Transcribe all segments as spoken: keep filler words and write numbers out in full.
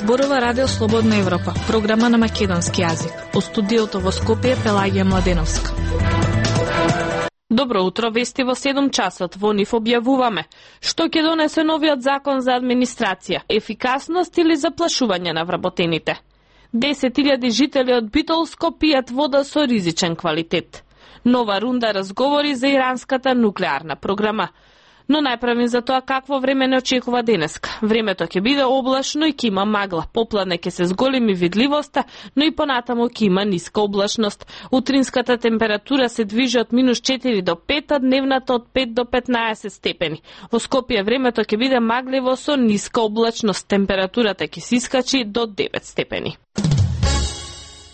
Зборува Радио Слободна Европа, програма на македонски јазик. Во студиото во Скопје Пелагија Младеновска. Добро утро, вести во седум часот. Во нив објавуваме што ќе донесе новиот закон за администрација, ефикасност или заплашување на вработените. десет илјади жители од Битолско пијат вода со ризичен квалитет. Нова рунда разговори за иранската нуклеарна програма. Но најправим за тоа какво време не очекува денеска. Времето ќе биде облачно и ќе има магла. Попладне ќе се зголеми видливоста, но и понатамо ќе има ниска облачност. Утринската температура се движи од минус четири до пет, а дневната од пет до петнаесет степени. Во Скопје времето ќе биде магливо со ниска облачност. Температурата ќе се искачи до девет степени.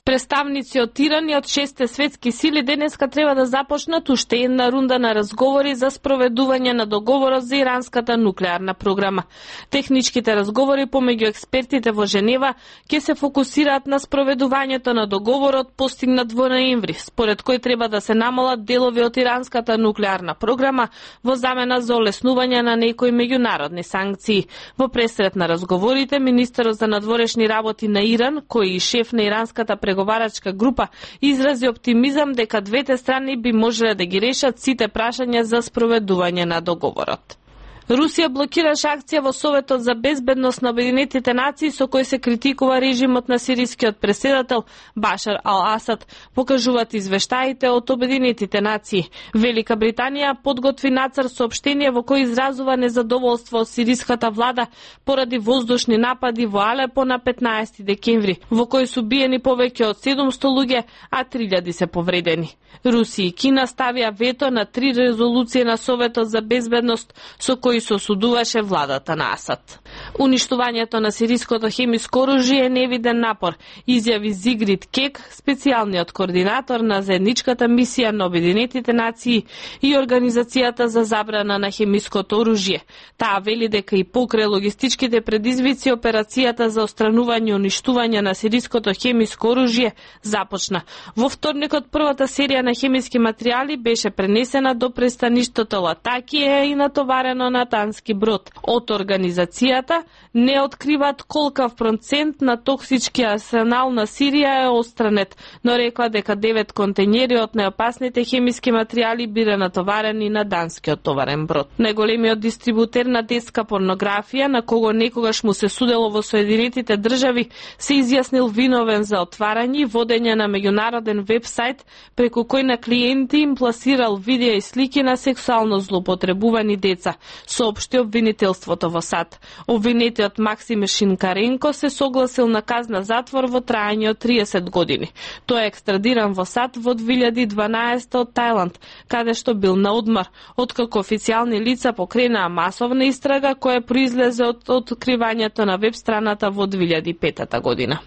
Представници од Иран и од шесте светски сили денеска треба да започнат уште една рунда на разговори за спроведување на договорот за иранската нуклеарна програма. Техничките разговори помеѓу експертите во Женева ќе се фокусираат на спроведувањето на договорот постигнат во ноември, според кој треба да се намалат делови од иранската нуклеарна програма во замена за олеснување на некои меѓународни санкции. Во пресрет на разговорите, министерот за надворешни работи на Иран, кој и шеф на иранската преговарачка група, изрази оптимизам дека двете страни би можеле да ги решат сите прашања за спроведување на договорот. Русија блокираше акција во Советот за безбедност на Обединетите нации со кој се критикува режимот на сирискиот преседател Башар ал-Асад, покажуваат извештаите од Обединетите нации. Велика Британија подготви нацрт соопштение во кој изразува незадоволство од сириската влада поради воздушни напади во Алепо на петнаесети декември, во кој се убиени повеќе од седумсто луѓе, а три илјади се повредени. Русија и Кина ставија вето на три резолуции на Советот за безбедност со кој се осудуваше владата на Асад. Уништувањето на сириското хемиско оружје е невиден напор, изјави Зигрид Кек, специјалниот координатор на заедничката мисија на Обединетите нации и Организацијата за забрана на хемиското оружје. Таа вели дека и покрај логистичките предизвици операцијата за отстранување и уништување на сириското хемиско оружје започна. Во вторникот првата серија на хемиски материјали беше пренесена до пристаништето Латакија и натоварено на тански брод. Од организацијата не откриваат колкав процент на токсички арсенал на Сирија е отстранет, но рекла дека девет контејнери од најопасните хемиски материјали биле натоварени на данскиот товарен брод. Најголемиот дистрибутер на детска порнографија, на кого некогаш му се судело во Соединетите држави, се изјаснил виновен за отварање и водење на меѓународен вебсајт преку кој на клиенти им пласирал видеа и слики на сексуално злоупотребувани деца, соопшти обвинителството во САД. Обвинетиот Максим Шинкаренко се согласил на казна затвор во трајање од триесет години. Тој е екстрадиран во САД во две илјади и дванаесета од Тајланд, каде што бил на одмор, откако официјални лица покренаа масовна истрага која произлезе од откривањето на веб страната во две илјади и петата година.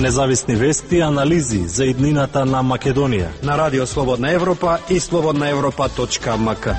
Независни вести и анализи за иднината на Македонија на Радио Слободна Европа и слободна европа точка ем ка.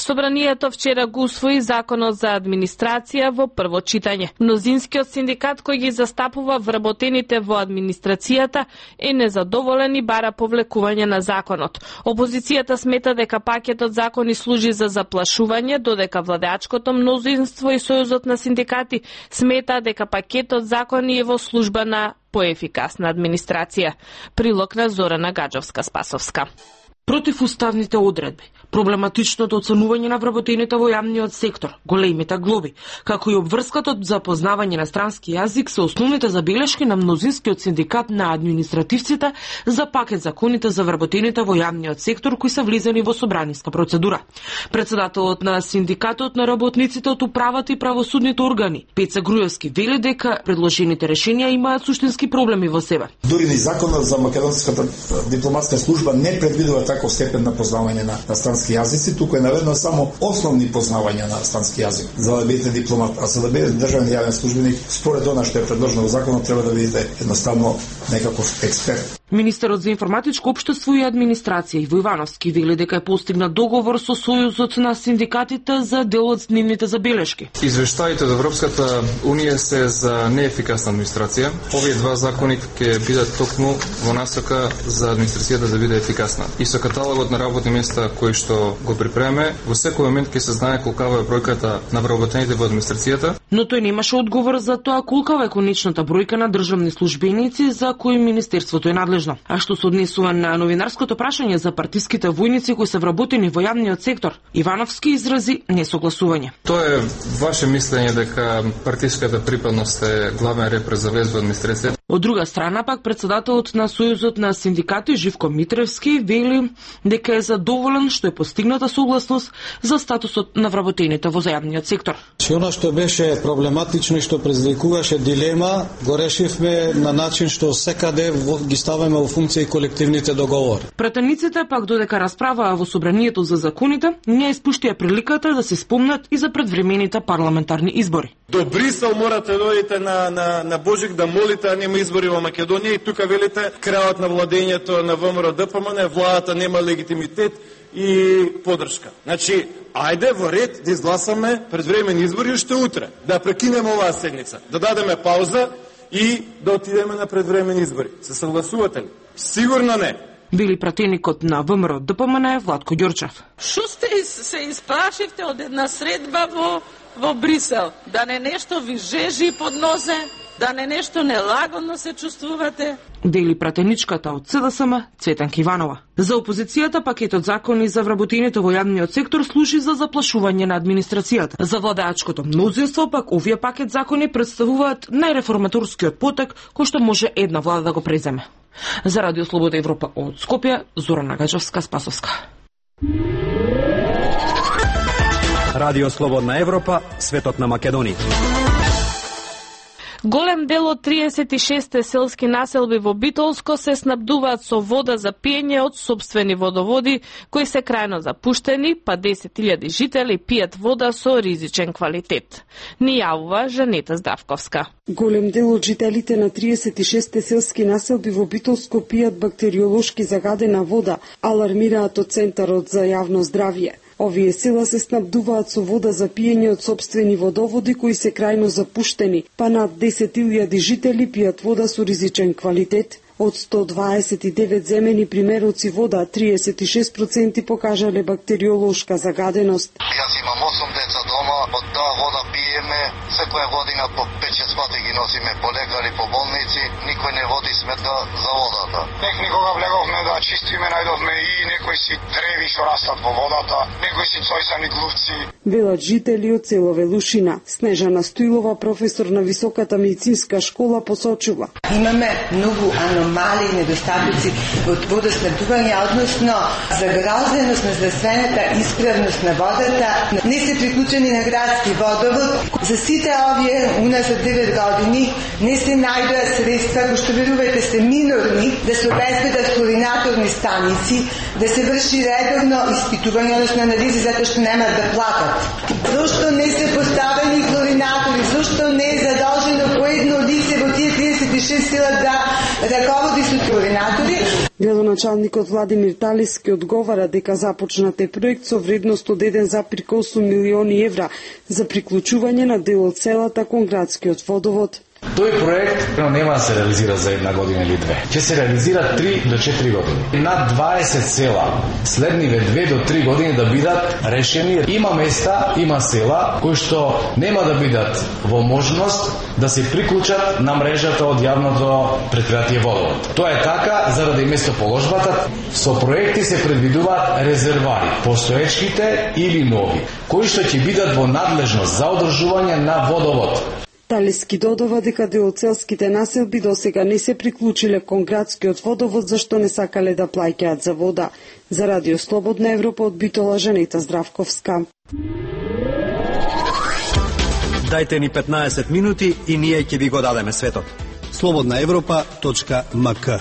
Собранието вчера го усвои законот за администрација во прво читање. Мнозинскиот синдикат кој ги застапува вработените во администрацијата е незадоволен и бара повлекување на законот. Опозицијата смета дека пакетот закони служи за заплашување, додека владеачкото мнозинство и Сојузот на синдикати смета дека пакетот закони е во служба на поефикасна администрација. Прилог на Зорана Гаджовска-Спасовска. Противуставните одредби, проблематичното оценување на вработените во јавниот сектор, големите глоби, како и обврската за познавање на странски јазик се основните забелешки на мнозинскиот синдикат на административците за пакет законите за вработените во јавниот сектор кои се влизани во собраниска процедура. Председателот на синдикатот на работниците од управата и правосудните органи, Пеца Груевски, вели дека предложените решенија имаат суштински проблеми во себе. Дури и законот за македонската дипломатска служба не предвидува таков степен на познавање на, на странски јазици, туку е наведено само основни познавања на странски јазик за да бидете дипломат, а за да бидете државен јавен службеник, според она што е предложено во законот, треба да бидете едноставно некаков експерт. Министерот за информатичко општество и администрација Иво Ивановски вели дека е постигнат договор со Сојузот на синдикатите за дел од нивните забелешки. Извештаите од Европската унија се за неефикасна администрација. Овие два закони ќе бидат токму во насока за администрацијата да биде ефикасна. И со каталогот на работни места кои што го припреме, во секој момент ќе се знае колкава е бројката на вработените во администрацијата. Но тој немаше одговор за тоа колкава е конечната бројка на државни службеници за кои министерството е надлежно. А што се однесува на новинарското прашање за партиските војници кои се вработени во јавниот сектор, Ивановски изрази несогласување. Тоа е ваше мислење дека партиската припадност е главен репер за вез во администрацијата. Од друга страна пак председателот на Сојузот на синдикати Живко Митревски вели дека е задоволен што е постигната согласност за статусот на вработените во зајавниот сектор. Она што беше проблематично и што предизвикуваше дилема, го решивме на начин што секаде ги ставаме во функција и колективните договори. Пратениците пак додека расправаа во собранието за законите, не испуштија приликата да се спомнат и за предвремените парламентарни избори. До Брисел морате да одите на, на, на Божик да молите, а нема избори во Македонија и тука велите крајот на владењето на ВМРО Д П М Н, владата нема легитимитет и подршка. Значи, ајде во ред да изгласаме предвремени избори уште утре, да прекинеме оваа седница, да дадеме пауза и да отидеме на предвремени избори. Се согласувате ли? Сигурно не. Били пратеникот на ВМРО Д П М Н Владко Ѓорчев. Шо сте се испрашивте од една средба во, во Брисел? Да не нешто ви жежи под нозе? Да не нешто нелагодно се чувствувате? Дели пратеничката од С Д С М Цветанка Иванова. За опозицијата пакетот закони за вработените во јавниот сектор служи за заплашување на администрацијата. За владеачкото мнозинство пак овие пакет закони представуваат најреформаторскиот потек кој што може една влада да го преземе. За Радио Слобода Европа од Скопје, Зорана Гаџовска-Спасовска. Радио Слободна Европа, светот на Македонија. Голем дел од триесет и шест селски населби во Битолско се снабдуваат со вода за пиење од сопствени водоводи кои се крајно запуштени, па десет илјади жители пијат вода со ризичен квалитет. Ни јавува Жанета Здравковска. Голем дел од жителите на триесет и шест селски населби во Битолско пијат бактериолошки загадена вода, алармираат од Центарот за јавно здравје. Овие села се снабдуваат со вода за пиење од сопствени водоводи кои се крајно запуштени, па над десет илјади жители пијат вода со ризичен квалитет. Од сто дваесет и девет земени примероци вода, триесет и шест проценти покажале бактериолошка загаденост. Јас имам осум деца дома, од таа вода пиеме, секоја година по пет-шест пати ги носиме по лекари, по болници, никој не води сметка за водата. Тек никога влеговме да чистиме, најдовме и некои си древи што растат во водата, некои си цојсани глувци. Велат жители од село Велушина. Снежана Стоилова, професор на Високата медицинска школа, посочува. Имаме многу аномалии и недостатоци од водоснабдување, односно загрозеност на здравствената исправност на водата. Не се приклучени на градски водовод. За сите овие уназад девет години не се најдоа средства, кои што верувајте се минорни, да се обезбедат хлоринаторни станици, да се врши редовно испитување, односно анализи, затоа што немаат да платат. Зошто не се поставени хлоринатори? Зошто не е задолжено по едно лице во тие триесет и шест села да раководи со хлоринатори? Градоначалникот Владимир Талиски одговара дека започнат е проект со вредност од еден зарез осум милиони евра за приклучување на дел од селата кон градскиот водовод. Тој проект нема да се реализира за една година или две. Ќе се реализира три до четири години. Над дваесет села следниве две до три години да бидат решени. Има места, има села кои што нема да бидат во можност да се приклучат на мрежата од јавното претпријатие водовод. Тоа е така заради местоположбата. Со проекти се предвидуваат резервари, постоечките или нови, кои што ќе бидат во надлежност за одржување на водовод. Талиски додава дека дел од селските населби досега не се приклучиле кон градскиот водовод зашто не сакале да плаќаат за вода. За Радио Слободна Европа од Битола, Жанета Здравковска. Дајте ни петнаесет минути и ние ќе ви го дадеме светот. слободна европа точка м к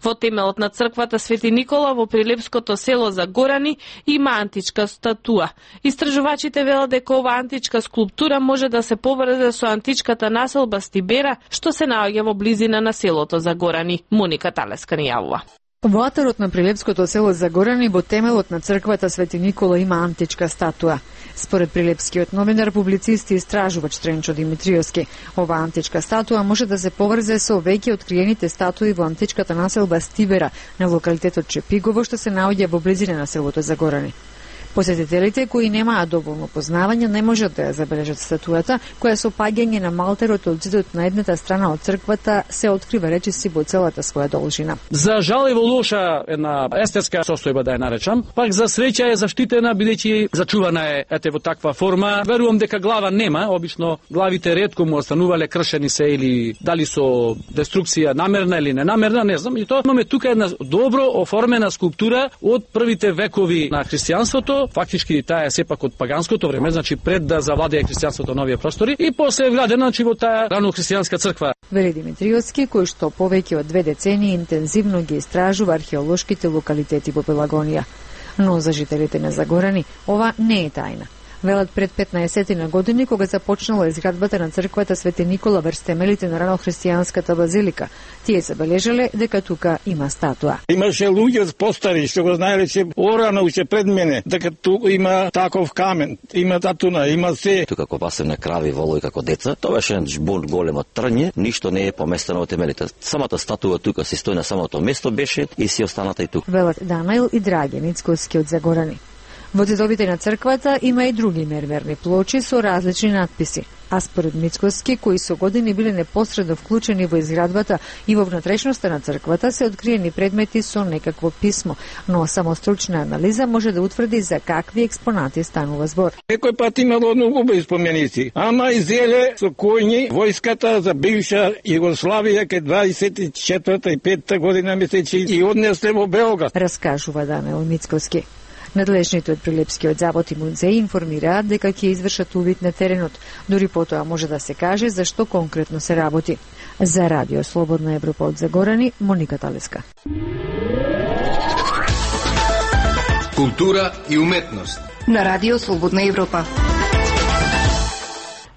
Во темелот на црквата Свети Никола во прилепското село Загорани има античка статуа. Истражувачите велат дека ова античка скулптура може да се поврзе со античката населба Стибера, што се наоѓа во близина на селото Загорани. Моника Талеска ни јавува. Во атарот на прилепското село Загорани во темелот на црквата Свети Никола има античка статуа. Според прилепскиот новинар, публицист и истражувач Тренчо Димитриевски, ова античка статуа може да се поврзе со веќе откриените статуи во античката населба Стибера на локалитетот Чепигово, што се наоѓа во близина на селото Загорани. Посетителите кои немаат доволно познавање не можат да ја забележат статуата, која со паѓање на малтерот од зидот на едната страна од црквата се открива речиси во целата своја должина. За жал е во лоша една естетска состојба, да ја наречам, пак за среќа е заштитена бидејќи зачувана е ете во таква форма. Верувам дека глава нема, обично главите ретко му останувале кршени се или дали со деструкција намерна или ненамерна, не знам, и тоа имаме тука една добро оформена скулптура од првите векови на христијанството. Фактички таа е сепак од паганското време, значи пред да завладее христијанството новија простори, и после е вградена значи во таа рано христијанска црква. Вели Димитриевски, кој што повеќе од две децении интензивно ги истражува археолошките локалитети во Пелагонија. Но за жителите на Загорани ова не е тајна. Велат пред петнаесет на години, кога започнала изградбата на црквата Свети Никола врз темелите на ранохристијанската базилика, тие забележале дека тука има статуа. Имаше луѓе постари што го знаеле че орано уште пред мене, дека тука има таков камен, има татуна, има се. Тука како пасевне крави, волови како деца, тоа беше жбун големо трње, ништо не е поместено во темелите. Самата статуа тука си стои на самото место беше и си останата и тука. Велат Данаил и Драге Ницковски од Загорани. Во зидовите на црквата има и други мермерни плочи со различни надписи. А според Мицковски, кои со години биле непосредно вклучени во изградбата и во внатрешноста на црквата, се откриени предмети со некакво писмо, но само стручна анализа може да утврди за какви експонати станува збор. Некој пат имало многу убави споменици, ама изеле со коњи војската за бивша Југославија кај дваесет и четврта и петта година месечи и однесле во Белград, раскажува Данаил Мицковски. Надлежните од Прилепскиот завод и музеј информираат дека ќе извршат увид на теренот, дури потоа може да се каже за што конкретно се работи. За Радио Слободна Европа од Загорани, Моника Талеска. Култура и уметност на Радио Слободна Европа.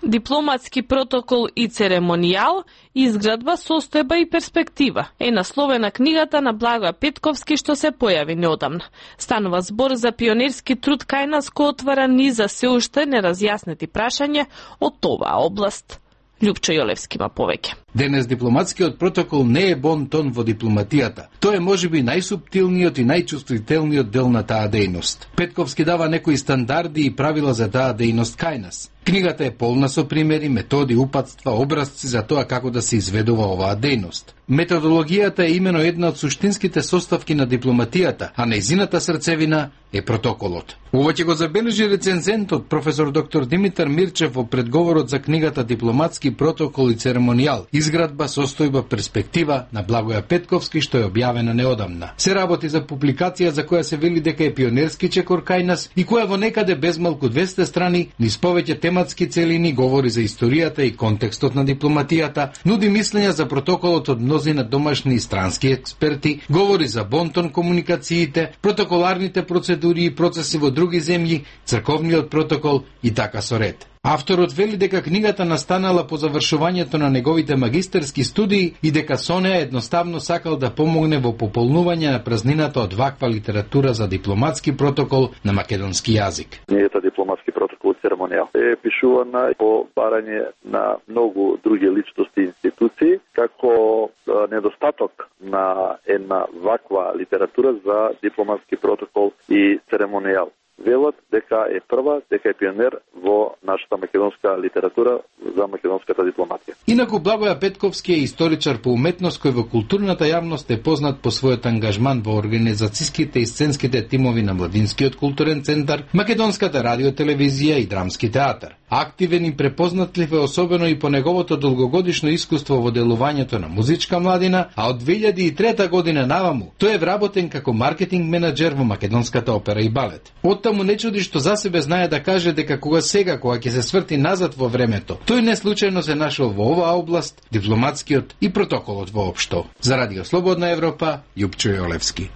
Дипломатски протокол и церемонијал, изградба, состојба и перспектива е насловена книгата на Благоја Петковски што се појави неодамна. Станува збор за пионерски труд кај нас кој отвара низ за се уште неразјаснети прашања од оваа област. Љупчо Јолевски има повеќе. Денес дипломатскиот протокол не е бон тон во дипломатијата. Тој е можеби најсуптилниот и најчувствителниот дел на таа дејност. Петковски дава некои стандарди и правила за таа дејност кај нас. Книгата е полна со примери, методи, упатства, образци за тоа како да се изведува оваа дејност. Методологијата е имено една од суштинските составки на дипломатијата, а нејзината срцевина е протоколот. Ова ќе го забележи рецензентот професор доктор Димитар Мирчев во предговорот за книгата Дипломатски протокол и церемонијал, изградба, состојба, перспектива на Благоја Петковски, што е објавена неодамна. Се работи за публикација за која се вели дека е пионерски чекор кај нас и која во некаде без малку двесте страни, низ повеќе тематски целини, говори за историјата и контекстот на дипломатијата, нуди мислења за протоколот од мнозина домашни и странски експерти, говори за бонтон комуникациите, протоколарните процедури и процеси во други земји, црковниот протокол и така со ред. Авторот вели дека книгата настанала по завршувањето на неговите магистерски студии и дека со неа едноставно сакал да помогне во пополнување на празнината од ваква литература за дипломатски протокол на македонски јазик. Книгата Дипломатски протокол и церемонијал е пишувана по барање на многу други личности и институции како недостаток на една ваква литература за дипломатски протокол и церемонијал. Велат дека е прва, дека е пионер во нашата македонска литература за македонската дипломатија. Инаку Благоја Петковски е историчар по уметност кој во културната јавност е познат по својот ангажман во организацијските и сценските тимови на Младинскиот културен центар, Македонската радиотелевизија и Драмски театар. Активен и препознатлив е особено и по неговото долгогодишно искуство во делувањето на музичка младина, а од две илјади и трета година наваму тој е вработен како маркетинг менаџер во Македонската опера и балет. Од Потаму му не чуди што за себе знае да каже дека кога сега, кога ќе се сврти назад во времето, тој не случајно се нашол во оваа област, дипломатскиот и протоколот воопшто. За Радио Слободна Европа, Јупчо Јолевски.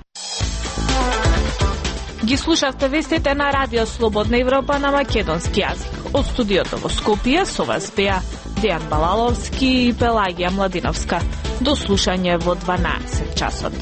Ги слушавте вестите на Радио Слободна Европа на македонски јазик. Од студиото во Скопје со вас беа Дејан Балаловски и Пелагија Младиновска. До слушање во дванаесет часот.